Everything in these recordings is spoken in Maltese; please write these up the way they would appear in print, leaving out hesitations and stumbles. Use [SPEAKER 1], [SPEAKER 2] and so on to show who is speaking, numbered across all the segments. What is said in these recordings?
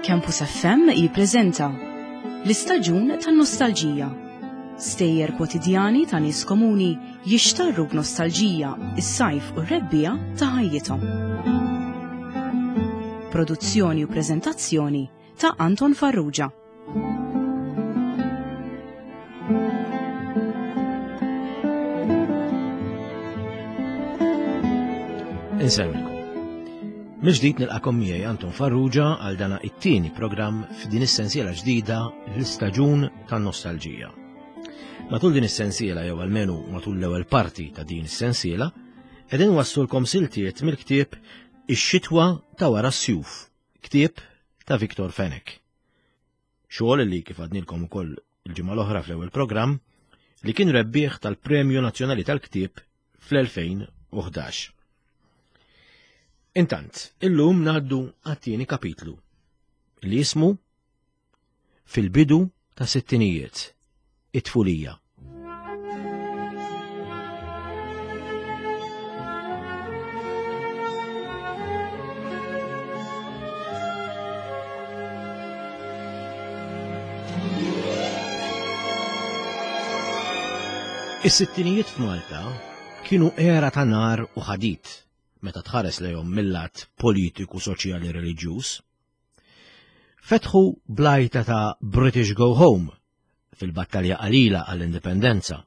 [SPEAKER 1] Campus FM jippreżenta l-istaġun tan-nostalġija. Stejjer kwotidjani ta' nies komuni jixtarru b'nostalġija is-sajf u r-rebbiegħa ta' ħajjithom. Produzzjoni u preżentazzjoni ta' Anton Farrugia.
[SPEAKER 2] Insellmilkom. Mill-ġdid nilqakom miegħi Anton Farrugia għal dana it-tieni programm f'din is-sensiela ġdida l-istaġun tan-nostalġija. Matul din is-sensiela jew almenu matul l-ewwel parti ta' din is-sensiela, qegħdin wassulkom siltiet mill-ktieb Ix-xitwa ta' wara s-sjuf, ktieb ta' Victor Fenech. Xogħol li kif għadnilkom ukoll il-ġimgħa l-oħra fl-ewwel programm li kien rebbieħ tal-Premju Nazzjonali tal-Ktieb fl-2011. Intant, illum ngħaddu għat-tieni kapitlu li jismu Fil-bidu ta' sittinijiet, it-tfulija. Is-sittinijiet f'Malta kienu era ta' nar u ħadid meta tħares lejhom mill-lat politiku, soċjali, reliġjuż. Fetħu blajta ta' British Go Home fil-battalja qalila għall-indipendenza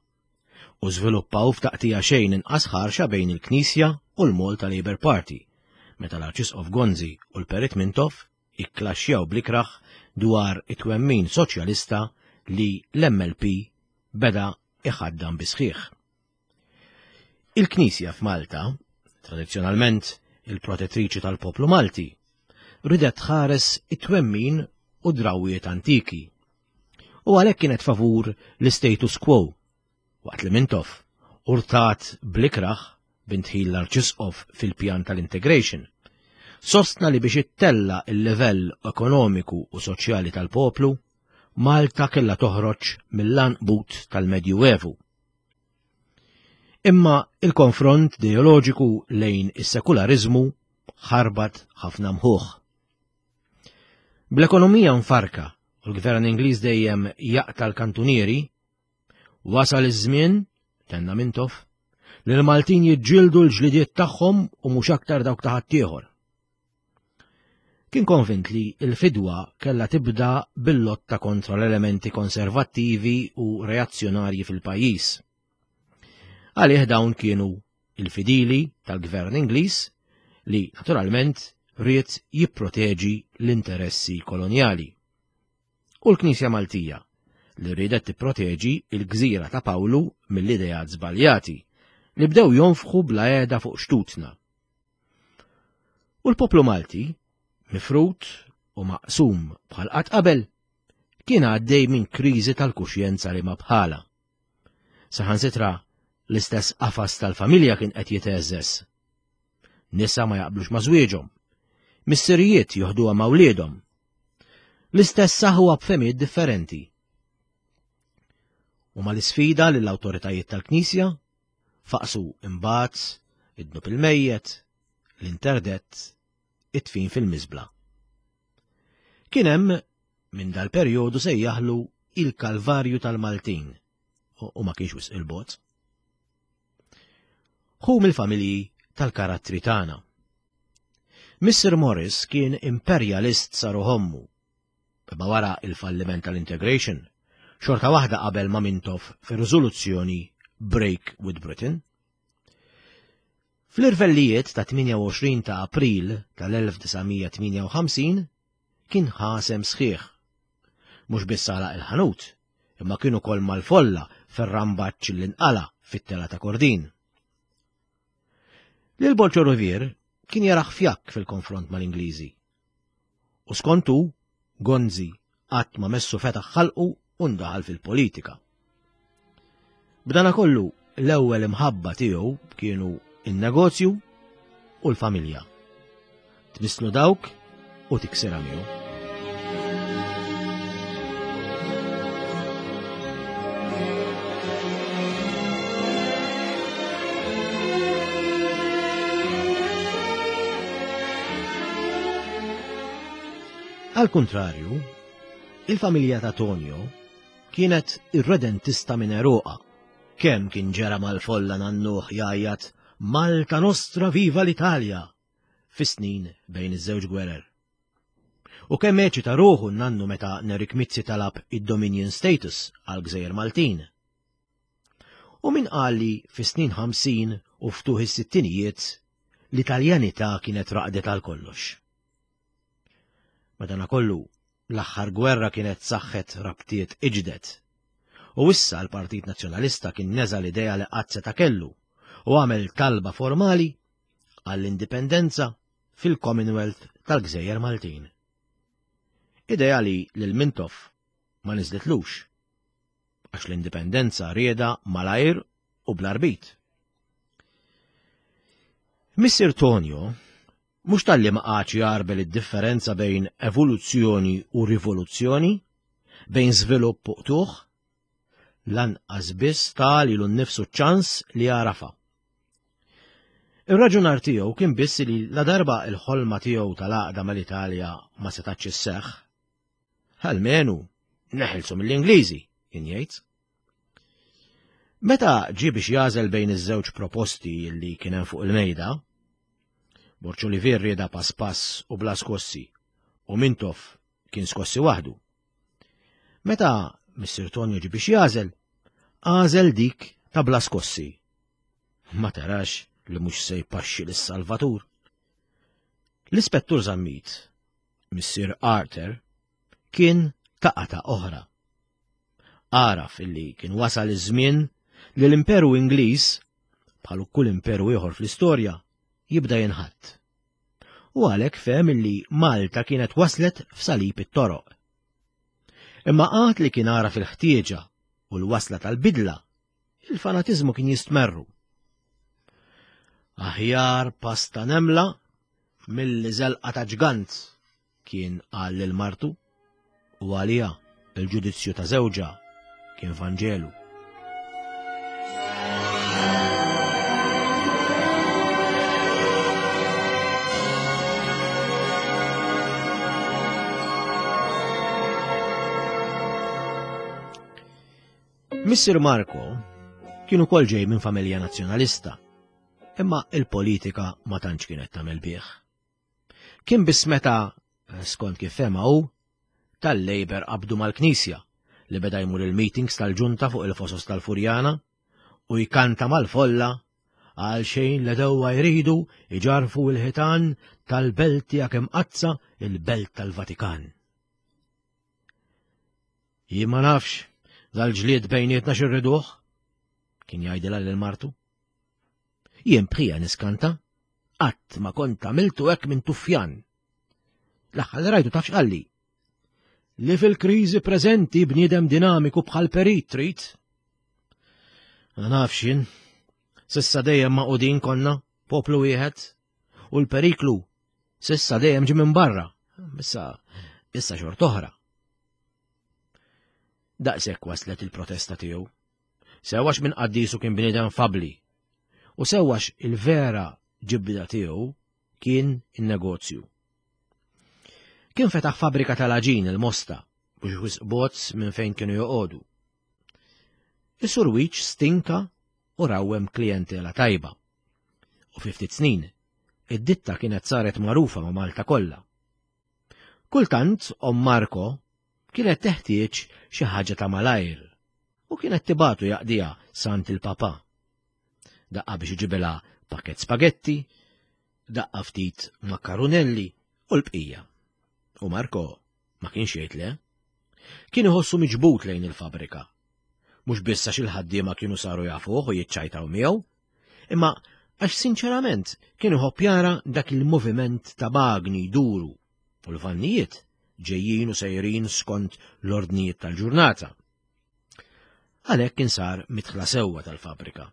[SPEAKER 2] u żviluppaw f'taqtija xejn inqas ħarxa bejn il-Knisja u l-Malta Labour Party meta l-Arċisqof Gonzi u l-Perit Mintoff ikklaxxjaw bl-ikrah dwar it-twemmin soċjalista li l-MLP beda iħaddan bis-sħiħ. Il-Knisja f'Malta, tradizzjonalment il-protettriċi tal-poplu Malti, ridet tħares it-twemmin u drawwiet antiki. U għalhekk kienet favur l-status quo, waqt li Mintoff urtat bl-ikrah b'indħil l-Arċisqof fil-pjan tal-integration, sostna li biex ittella il-livell ekonomiku u soċjali tal-poplu, Malta kellha toħroġ mill-għanqbut tal-Medjuevu. Imma il-konfront ideoloġiku lejn is-sekulariżmu ħarbat ħafna mħuħ. Bl-ekonomija mfarka u l-gvern Ingliż dejjem jaqta' l-kantunieri, wasal iż-żmien, tenna Mintoff, li l-Maltin jiġġieldu l-ġlidiet tagħhom u mhux aktar dawk ta' ħaddieħor. Kien konvint li l-fidwa kellha tibda bil-lotta kontra l-elementi konservattivi u reazzjonarji fil-pajjiż. Għalih dawn kienu il-fidili tal-gvern Ingliż li naturalment ried jipproteġi l-interessi kolonjali. U l-Knisja Maltija li riedet tipproteġi il-gżira ta' Pawlu mill-ideat żbaljati li bdew jonfħu bla għeda fuq xtutna. U l-poplu Malti, mifrud u maqsum bħal qatt qabel, kien għaddej minn kriżi tal-kuxjenza li ma bħala. Saħansitra l-istess qafas tal-familja kien qed jiteżżeż. Nisa ma jaqblux ma' żwieġhom. Missirijiet joħduha ma' wliedhom. L-istess saħwa b'femijiet differenti. U ma l-isfida lill-awtoritajiet tal-Knisja Faqsu imbagħad id-dnub il-mejjet, l-interdett, it-tfin fil-miżbla. Kien hemm minn dal-perjodu sejjaħlu il-Kalvarju tal-Maltin u ma kienx wisq il-bogħod. Hu mill-familji tal-karattri tagħna. Mr. Morris kien imperjalist sa ruħommu Imma wara il-falliment tal-integration, xorta waħda qabel ma' Mintoff fir-riżoluzzjoni Break with Britain. Fl-irvellijiet ta' 28 ta' April tal-1958 kien ħasem sħiħ. Mhux biss għalaq il-ħanut, imma kien ukoll mal-folla fir-rambaċ li nqala fit-tela ta' Kordin. Lil Bolċo Rivier kien jaraħ fjakk fil-konfront mal-Ingliżi U skont hu, Gonzi qatt ma messu fetaħ ħalqu u ndaħal fil-politika. B'danakollu l-ewwel imħabba tiegħu kienu in-negozju u l-familja. Tmisslu dawk u tiksirha miegħu. Għal kuntrarju, il-familja ta' Tonio kienet irredentista minn għeruqha. Kemm kien ġera mal-folla nannuh jgħajjat Malta Nostra Viva l-Italja fis-snin bejn iż-żewġ gwerer. U kemm eċita ruħu n-nannu meta Nerik Mizzi talab id-Dominion status għal gżejjer Maltin. U min qal li fis-snin 50 u ftuħ is-sittinijiet l-Italjanità kienet raqdet għal kollox. Madanakollu, l-aħħar gwerra kienet saħħet rabtiet iġded. U issa l-Partit Nazzjonalista kien neża l-idea li qatt seta' kellu u għamel talba formali għall-indipendenza fil-Commonwealth tal-Gżejjer Maltin. Idea li lil Mintoff ma niżlitlux, għax l-indipendenza rieda malajr u bla rbit. Missier Tonio mhux talli ma qagħadx jgħarbel id-differenza bejn evoluzzjoni u rivoluzzjoni, bejn żvilupp u qtugħ, lanqas biss ta lilu nnifsu ċ-ċans li jagħrafha. Ir-raġunar tiegħu kien biss li ladarba l-ħolma tiegħu tal-għaqda mal-Italja ma setgħetx isseħħ, almenu neħilsu mill-Ingliżi, kien jgħid. Meta ġie biex jagħżel bejn iż-żewġ proposti li kien hemm fuq il-mejda, Borg Olivier rieda pass pass u bla skossi, u Mintoff kien skossi waħdu. Meta Missier Tonio ġie biex jagħżel, għażel dik ta' bla skossi. Ma tarax li mhux se jpaxxi lis-Salvatur. L-Ispettur Zammit, Missier Arthur, kien ta' qata' oħra. Għaraf illi kien wasal iż-żmien li l-Imperu Ingliż, bħal kull imperu ieħor fl-istorja, jibda jinħatt. U għalhekk fehem illi Malta kienet waslet f'salib it-toroq. Imma għad li kien għaraf il-ħtieġa u l-wasla tal-bidla, il-fanatiżmu kien jistmerru. Aħjar pasta nemla milli żelqa ta' ġgant kien qal lil martu u għaliha il-ġudizzju ta' żewġha kien Vanġelu. Missier Marco kien ukoll ġej minn familja nazzjonalista, imma il-politika ma tantx kienet tagħmel bih. Kien biss meta, skont kif fehma hu, tal-Labour qabdu mal-Knisja li beda jmur il-meetings tal-ġunta fuq il-fosos tal-Furjana u jkanta mal-folla għal xejn l-edewwa jridu iġarfu l-ħitan tal-belt tiegħek imqaddsa il-belt tal-Vatikan. Jien ma nafx dal-ġlied bejnietna xirriduh, kien jgħidilha lil martu. Jien bħija niskanta, qatt ma kont għamiltu hekk minn tuffjan. L-aħħar li rajtu taf x'qalli. Li fil-kriżi preżenti bniedem dinamiku bħal perit trid. Ma nafx jien. Sissa dejjem maqudin konna, poplu wieħed, u l-periklu sissa dejjem ġie minn barra. Issa, issa xort oħra. Daqshekk waslet il-protesta tiegħu. Sew għax minn qaddisu kien bniedem fabli u sew għax il-vera ġibda tiegħu kien in-negozju. Kien fetaħ fabbrika tal-għaġin il-Mosta mhux wisq bozz minn fejn kienu joqogħdu. Is-Sur Wiċ stinka u rawwem klijentela tajba. U fi ftit snin, id-ditta kienet saret magħrufa ma' Malta kollha. Kultant, omm Marco kienet teħtieġ xi ħaġa ta' malajr u kienet tibatu jaqdiha sant il-papa. Daqqa biex iġibilha pakett spagetti, daqqa ftit makkarunelli u l-bqija. U Marco ma kienx jgħid le. Kien iħossu miġbud lejn il-fabrika. Mhux biss għax il-ħaddiema kienu saru jafuh u jiċċajtaw miegħu, imma għax sinċerament kien iħobb jara dak il-moviment ta' magni jduru u l-vannijiet ġejjin u sejrin skont l-ordnijiet tal-ġurnata. Għalhekk kien sar mitħla sewwa tal-fabrika.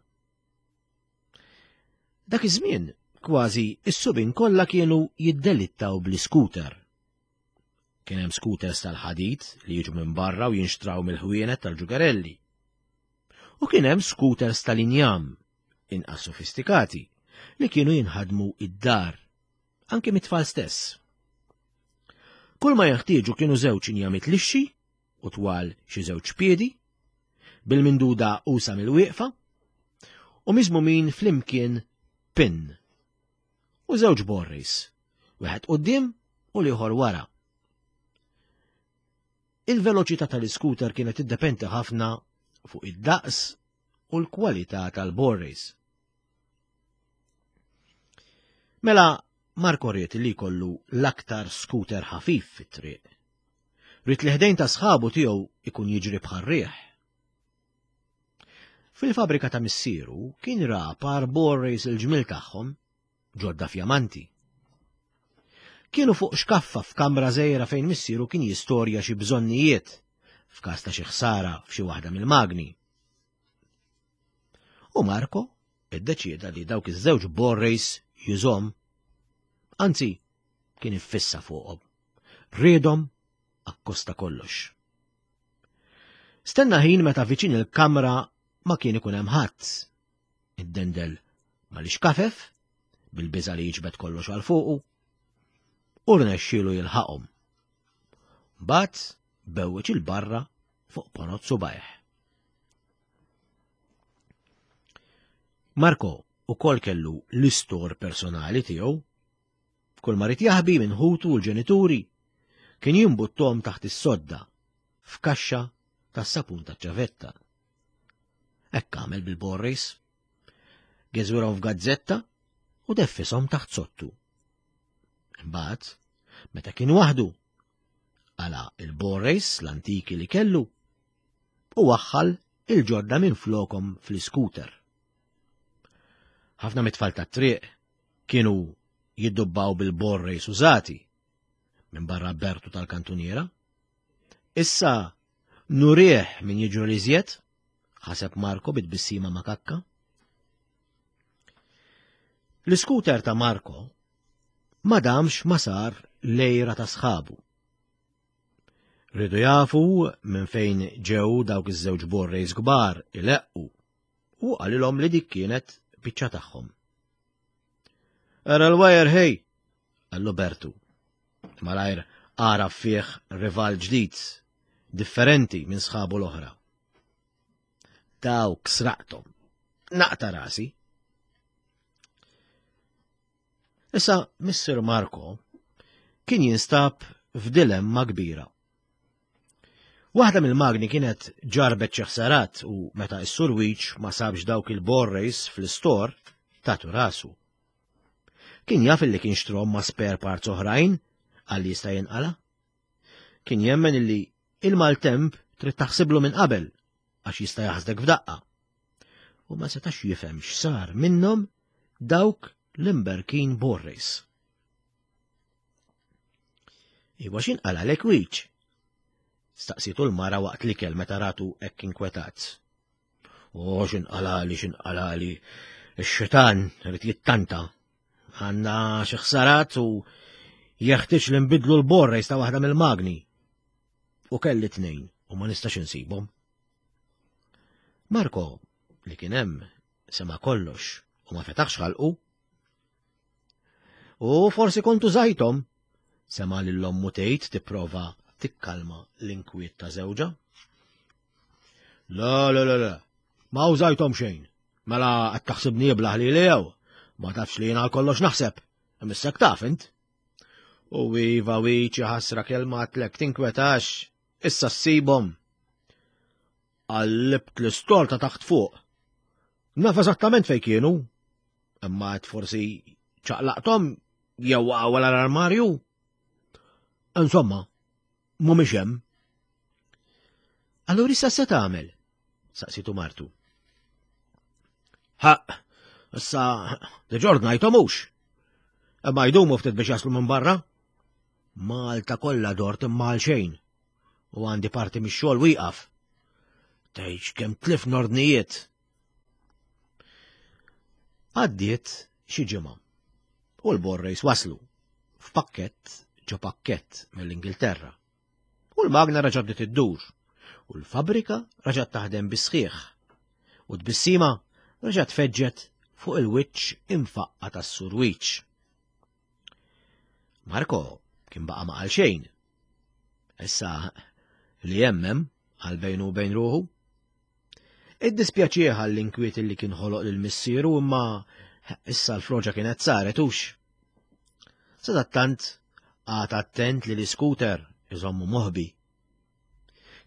[SPEAKER 2] Dak iż-żmien kważi is-subin kollha kienu jiddelittaw bl-iskuter. Kien hemm scooters tal-ħadid li jiġu minn barra u jinxtraw mill-ħwienet tal-ġugarelli. U kien hemm scooters tal-injam, inqas sofistikati, li kienu jinħadmu id-dar, anki mit-tfal stess. Kull ma jeħtieġu kienu żewġ injamiet lixxi u twal xi żewġ piedi, bil-minduda usa mill-wieqfa, u miżmumin flimkien pin. U żewġ borris, wieħed quddiem u l-ieħor wara. Il-veloċità tal-iskuter kienet tiddependi ħafna fuq id-daqs u l-kwalità tal-borris. Mela Marko ried li jkollu l-aktar scooter ħafif fit-triq. Ried li ħdejn ta' sħabu tiegħu ikun jiġri bħar-riħ. Fil-fabrika ta' missieru kien ra par borrejs il-ġmil tagħhom ġodda fjamanti. Kienu fuq xkaffa f'kamra żgħira fejn missieru kien jistorja xi bżonnijiet f'każ ta' xi ħsara f'xi waħda mill-magni. U Marco iddeċieda li dawk iż-żewġ borrejs jużhom. Anzi, kien iffissa fuqhom. Riedhom akkosta kollox. Stenna ħin meta viċin il-kamra ma kien ikun hemm ħadd. Iddendel mal-ixkafef, bil-biża' li jiġbed kollox għal fuqu, u rnexxielu jilħaqhom. Mbagħad bewweġ il-barra fuq ponot subajh. Marco ukoll kellu l-istor personali tiegħu. Kull ma rid jaħbi minn ħutu u l-ġenituri kien jimbuttom taħt is-sodda f'kaxxa tas-sapun taċ-ċavetta. Hekk għamel bil-Borris. Geżwirhom f'gazzetta u deffishom taħt sottu. Imbagħad, meta kien waħdu, għala il-Borris l-antiki li kellu u waħħal il-ġodda minn flokom fl-iskuter. Ħafna mit-tfal tat-triq kienu jiddubbaw bil-borrejs użati minn barra Bertu tal-kantuniera. Issa nurih min jiġru li żjed, ħaseb Marko bit-tbissima makakka. L-iskuter ta' Marko ma damx ma sar lejra ta' sħabu. Ridu jafu minn fejn ġew dawk iż-żewġ borrejs kbar ileqqu u qalilhom li dik kienet biċċa tagħhom. Ara l-wajer ħej, qallu Bertu. Malajr għaraf fih rival ġdid, differenti minn sħabu l-oħra. Dawk sraqthom. Naqta rasi. Issa Mr. Marco kien jinstab f'dilemma kbira. Waħda mill-magni kienet ġarbet xi ħsarat u meta s-Sur Weech ma sabx dawk il-borrejs fl-istor, tatu rasu. Kien jaf illi kien xtrom ma' spare parts oħrajn għal jista' jinqala. Kien jemmen illi il-maltemp trid taħsiblu minn qabel għax jista' jaħsdek f'daqqa. U ma setax jifhem x'sar minnhom dawk l-imberkin borrejs. Iwa x'inqalalek wiċ? Staqsitu l-mara waqt l-ikel meta ratu hekk inkwetat. O x'inqalali x'inqalali, ix-xitan irid jittanta. Għandna xi ħsarat u jeħtieġ li nbidlu l-borrejs ta' waħda mill-magni. U kelli tnejn u ma nistax insibhom. Marko, li kien hemm, sema' kollox u ma fetaħx ħalqu. U forsi kontu żajthom, sema' lil ommu tgħid tipprova tikkalma l-inkwiet ta' żewġha. La, la, la, la, ma użajthom xejn. Mela qed taħsibni iblaħ li jew, ma tafx li jiena kollox naħseb, imissek taf int. U iva wiċi ħasra kelma għatlek tinkwetax, issa ssibhom. Qallibt l-istor ta' taħt fuq. Naf eżattament fejn kienu, Imma għed forsi ċaqlaqthom jew waqgħu wara l-armarju. Insomma, mhumiex hemm. Allura issa se tagħmel? Saqsitu martu. Ħaq, issa diġà ordnajthom hux. Imma jdumu ftit biex jaslu minn barra. Malta kollha dort imma għal xejn. U għandi parti mix-xogħol wieqaf. Tgħidx kemm tlif nordnijiet. Għaddiet xi ġimgħa u l-borrejs waslu f'pakkett ġo pakkett mill-Ingilterra. U l-magna raġa' bdiet iddur u l-fabbrika raġgħet taħdem bis-sħiħ u tbissima raġgħet feġġet fuq il-wiċċ imfaqqa tas-surwiċ. Marko kien baqa' ma qal xejn. Issa li jemmem għal bejnu u bejn ruħu. Iddispjaċih għall-inkwiet li kien ħoloq lil missieru imma issa l-froġa kienet saret hux. Sadattant qagħad attent li l-iskuter iżommu moħbi.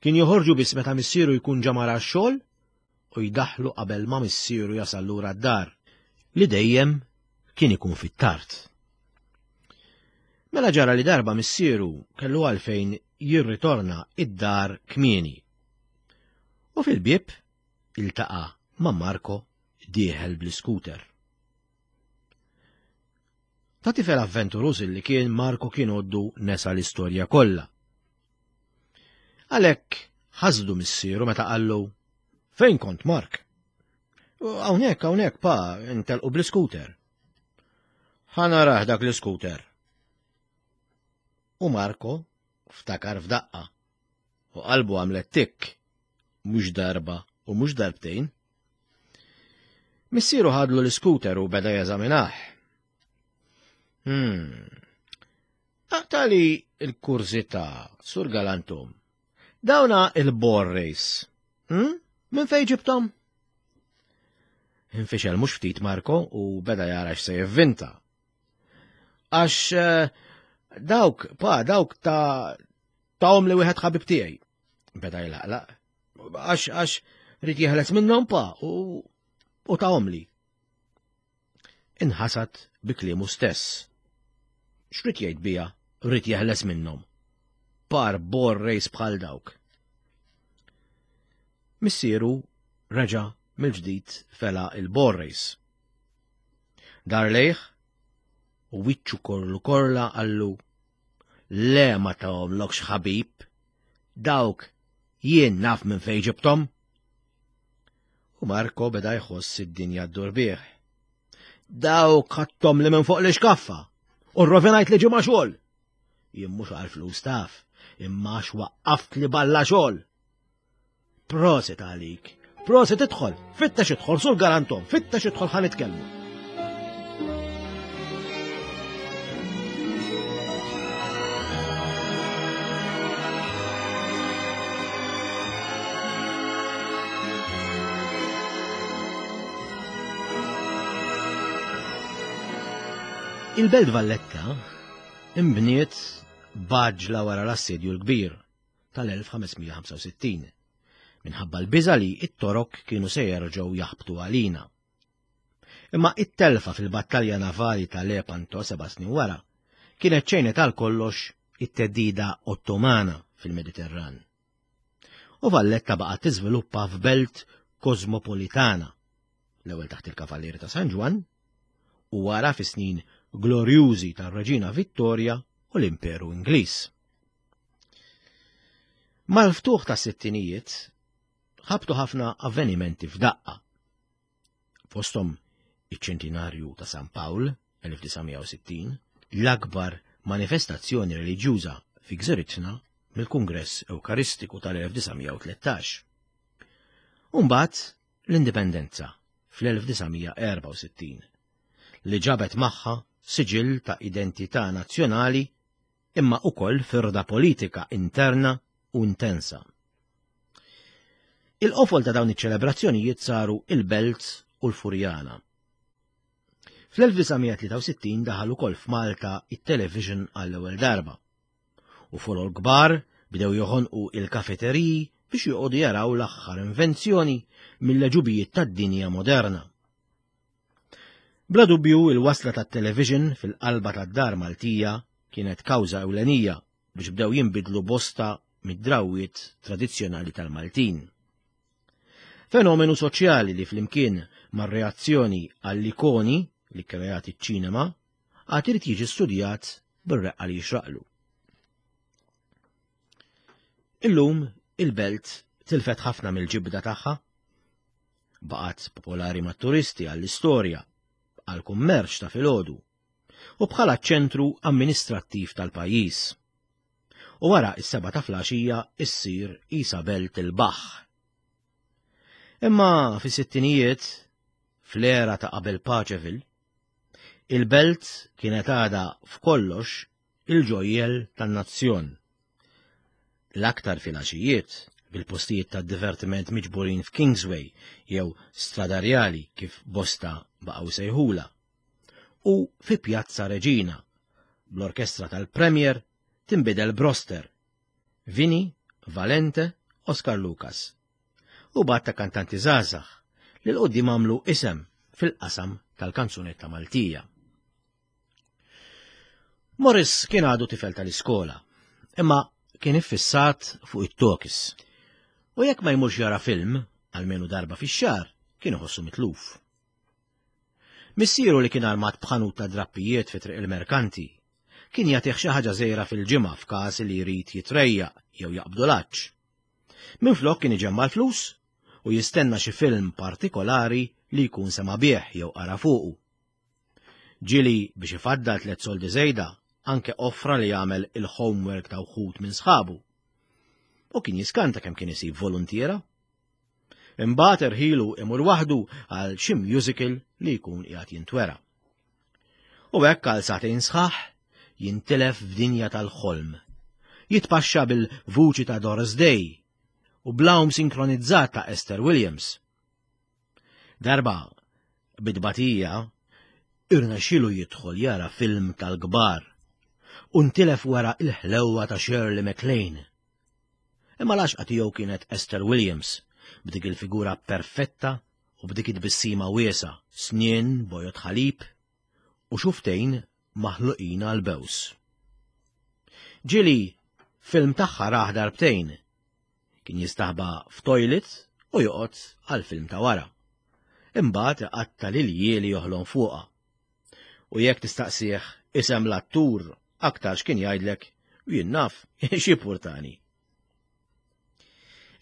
[SPEAKER 2] Kien joħorġu biss meta missieru jkun ġa mar għax-xogħol u jdaħħlu qabel ma missieru jasal lura d-dar, li dejjem kien ikun fit-tard. Mela ġara li darba missieru kellu għalfejn jirritorna id-dar kmieni. U fil-bieb iltaqa' ma' Marco dieħel bl-iskuter. Ta' tifel avventuruż li kien Marco kien għoddu nesa l-istorja kollha. Għalhekk ħasdu missieru meta qallu Fejn kont Mark? Hawnhekk, hawnhekk, pa, intelqu bl-iskuter. Ħa narah dak l-iskuter. U Marco ftakar f'daqqa. U qalbu għamlet tikk, mhux darba u mhux darbtejn. Missieru ħadlu l-iskuter u beda jeżaminah. Hmm. Aqtali l-kurżità, Sur Galantum. Dawna il-bor race. Hmm? Minn fejn ġibtom? Infixel mhux ftit Marko u beda jara x'se jivvinta. Għax eh, dawk, pa, dawk ta' tawhom li wieħed ħabib tiegħi. Beda jlaqlaq. Għax għax rrid jeħles minnhom pa u u tawhom li. Inħasad bi kliemu stess. X'rid jgħid bija rrid jeħles minnhom? Par bor rejs bħal dawk. Missieru reġa' mill-ġdid fela il-bor race. Dar lejh u wiċċu korlu korla qallu Le ma tahomlokx ħabib, dawk jien naf minn fejn ġibthom. U Marko beda jħoss id-dinja ddur bih. Dawk ħadthom li minn fuq l-ixkaffa u rrovinajt li ġimgħa xogħol. Jien mhux għal flus taf, imma għax waqqaft li balla xogħol. Proset għalik. Proset idħol, fittex idħol sur garantom, fittex idħol ħa nitkellmu. Il-Belt Valletta imbniet b'għaġla wara l-Assedju l-Kbir tal-1565, minħabba l-biża' li t-Torok kienu se jerġgħu jaħbtu għalina. Imma it-telfa fil-battalja navali ta' Lepanto seba' snin wara kienet ċejnet għal kollox it-theddida Ottomana fil-Mediterran. U Valletta baqgħet tiżviluppa f'belt kosmopolitana, l-ewwel taħt il-Kavallieri ta' San Ġwann u wara fis-snin glorjużi tar-Reġina Vittoria u l-Imperu Ingliż. Mal-ftuħ tas-sittinijiet ħabtu ħafna avvenimenti f'daqqa. Fosthom iċ-ċentinarju ta' San Pawl 1960, l-akbar manifestazzjoni reliġjuża fi gżiritna mill-Kungress Ewkaristiku tal-1913. Umbagħad l-Indipendenza fl-1964 li ġabet magħha siġill ta' identità nazzjonali imma ukoll firda politika interna u intensa. Il-qofol ta' dawn iċ-ċelebrazzjonijiet saru il-Belt u l-Furjana. Fl-1963 daħal ukoll f'Malta it-television għall-ewwel darba. U folol kbar bdew joħonqu il-kafeteriji biex joqogħdu jaraw l-aħħar invenzjoni mill-għeġubijiet tad-dinja moderna. Bla dubju il-wasla tat-television fil-qalba tad-dar Maltija kienet kawża ewlenija biex bdew jinbidlu bosta mid-drawwiet tradizzjonali tal-Maltin. Fenomenu soċjali li flimkien mar-reazzjoni għall-ikoni li kkreat iċ-ċinema għad irid jiġi studjat bir-reqqa li jixraqlu. Illum il-belt tilfet ħafna mill-ġibda tagħha Baqgħet popolari mat-turisti għall-istorja, għall-kummerċ ta' filgħodu u bħala ċ-ċentru amministrattiv tal-pajjiż. U wara s-sebgħa ta' flaxija issir qisha belt il-baħħ. Imma fis-sittinijiet, fl-era ta' qabel Paceville, il-belt kienet għadha f'kollox il-ġojjel tan-nazzjon. L-aktar filgħaxijiet, bil-postijiet ta' divertiment miġburin f'Kingsway jew Strada Rjali kif bosta baqgħu sejħula, u fi Pjazza Reġina, bl-orkestra tal-Premier tinbidel b'roster, Vini, Valente, Oscar Lucas. U b'għadd ta' kantanti żgħażagħ li l-quddiem għamlu isem fil-qasam tal-kanzunetta Maltija. Morris kien għadu tifel tal-iskola, imma kien iffissat fuq it-tokis. U jekk ma jmurx jara film, almenu darba fix-xahar, kien iħossu mitluf. Missieru li kien armat b'ħanut ta' drappijiet fi triq il-merkanti, kien jagħtih xi ħaġa żgħira fil-ġimgħa f'każ li jrid jitrejjaq jew jaqbdu l-għatx. Minflok kien iġemma' l-flus u jistenna xi film partikolari li jkun sema' bih jew qara fuqu. Ġieli biex ifaddal tlett soldi żejda anke offra li jagħmel il-homework ta' wħud minn sħabu. U kien jiskanta kemm kien isib voluntiera. Imbagħad erħilu imur waħdu għal xi musical li jkun qiegħed jintwera. U hekk għal sagħtejn sħaħ jintilef f'dinja tal-ħolm. Jitpaxxa bil-vuċi ta' Doris Day u blawm sinkronizzat ta' Esther Williams. Darba, bit-tbatija, irnexxielu jidħol jara film tal-kbar u ntilef wara l-ħlewwa ta' Shirley MacLaine. Imma l-għaxqa tiegħu kienet Esther Williams, b'dik il-figura perfetta u b'dik it-tbissima wiesgħa, snien bojod ħalib u xuftejn maħluqin għall-bews. Ġieli film tagħha rah darbtejn Kien jistaħba f'toilet u joqgħod għall-film ta' wara. Imbagħad iqatta' l-iljieli joħlom fuqha. U jekk tistaqsih isem l-attur aktarx kien jgħidlek jien naf x'jippurtani.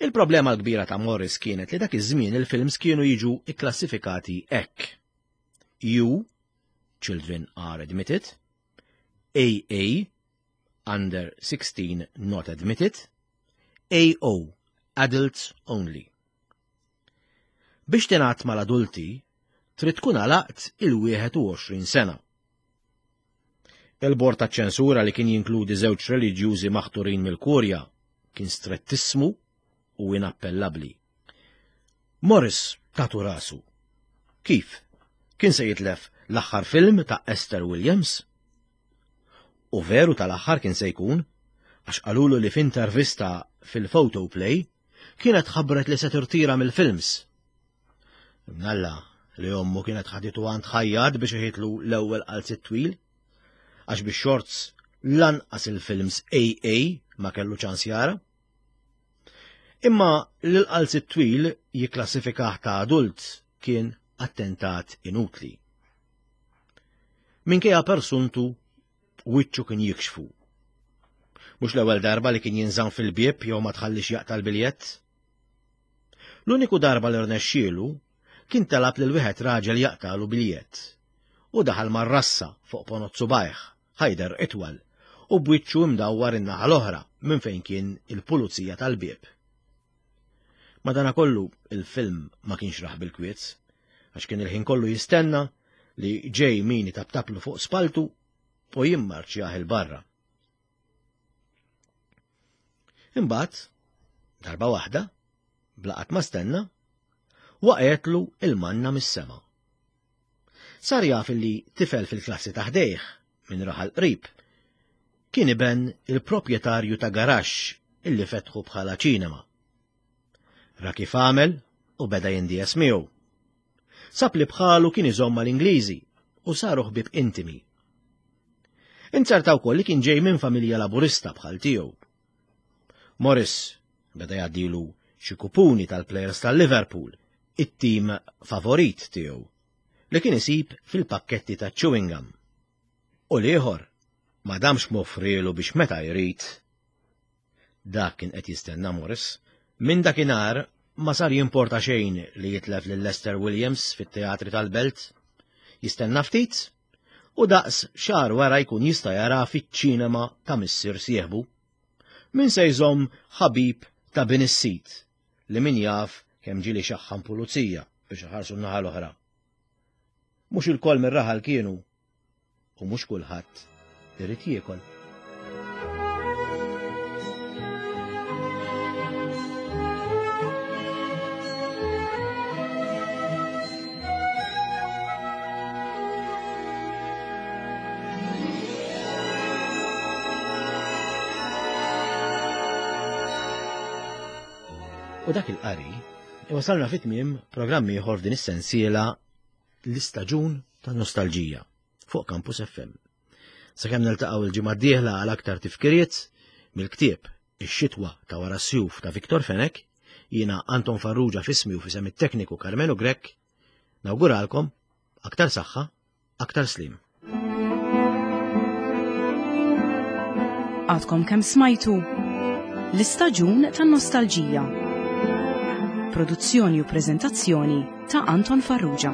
[SPEAKER 2] Il-problema l-kbira ta' Morris kienet li dak iż-żmien il-films kienu jiġu ikklassifikati hekk. U, Children are admitted, AA, Under 16 not admitted, AO, Adults only. Biex tingħadd mal-adulti, trid tkun għalaqt il-21 sena. Il-bord taċ-ċensura li kien jinkludi żewġ reliġjużi maħturin mill-Kurja kien strettissmu u inappellabbli. Morris tatu rasu. Kif? Kien se jitlef l-aħħar film ta' Esther Williams? U veru tal-aħħar kien se jkun, għax qalulu li f'intervista fil-Photoplay kienet ħabbret li se tirtira mill-films. Mnalla li ommu kienet ħaditu għand ħajjat biex iħitlu l-ewwel qalzit twil, għax bix shorts lanqas il-films AA ma kellu ċans jara. Imma l-qalzit twil jikklassifikah ta' adult kien attentat inutli. Minkejja persuntu wiċċu kien jikxfu. Mhux l-ewwel darba li kien jinżamm fil-bieb jew ma tħallix jaqta' l-biljett. L-uniku darba li rnexxielu kien talab lil wieħed raġel jaqtalu biljett u daħal mar-rassa fuq ponot subajh, ħajder itwal, u b'wiċċu imdawwar in-naħa l-oħra minn fejn kien il-pulizija tal-bieb. Madanakollu il-film ma kienx raħ bil-kwiet, għax kien il-ħin kollu jistenna li ġej min itaptaplu fuq spaltu u jimmarċjah il-barra. Imbagħad, darba waħda, blaqat ma stenna, waqgħetlu il-manna mis-sema. Sar jaf li tifel fil-klassi ta' ħdejh, minn raħal qrib, kien iben il-proprjetarju ta' garaxx illi fetħu bħala ċinema. Ra kif għamel u beda jindies miegħu. Sab li bħalu kien iżomm mal-Ingliżi u saru ħbieb intimi. Inzerta wkoll li kien ġej minn familja Laburista bħal tiegħu. Morris beda jgħaddilu xi kupuni tal-plejers tal-Liverpool, it-tim favorit tiegħu, li kien isib fil-pakketti ta' chewing gum. U l-ieħor ma damx m'offrielu biex meta jrid. Dak kien qed jistenna Morris. Minn dakinhar ma sar jimporta xejn li jitlef lil Lester Williams fit-teatri tal-belt. Jistenna ftit u daqs xahar wara jkun jista' jara fiċ-ċinema ta' missier sieħbu. Min se jżomm ħabib ta' bin is-sid li min jaf kemm ġieli xaħħam pulizija biex iħarsu n-naħa l-oħra. Mhux ilkoll mir-raħal kienu u mhux kulħadd irid jiekol. U dak il-qari iwasalna fit-tmiem programm ieħor f'din is-sensiela l-istaġun tan-nostalġija fuq Campus FM. Sakemm niltaqgħu l-ġimgħa d-dieħla għal aktar tifkiriet mill-ktieb Ix-xitwa ta' wara s-sjuf ta' Victor Fenech, jiena Anton Farrugia f'ismi u f'isem it-tekniku Karmenu Grech, nawguralkom aktar saħħa, aktar sliem.
[SPEAKER 1] Għadkom kemm smajtu l-istaġun tan-nostalġija. Produzzjoni u preżentazzjoni ta' Anton Farrugia.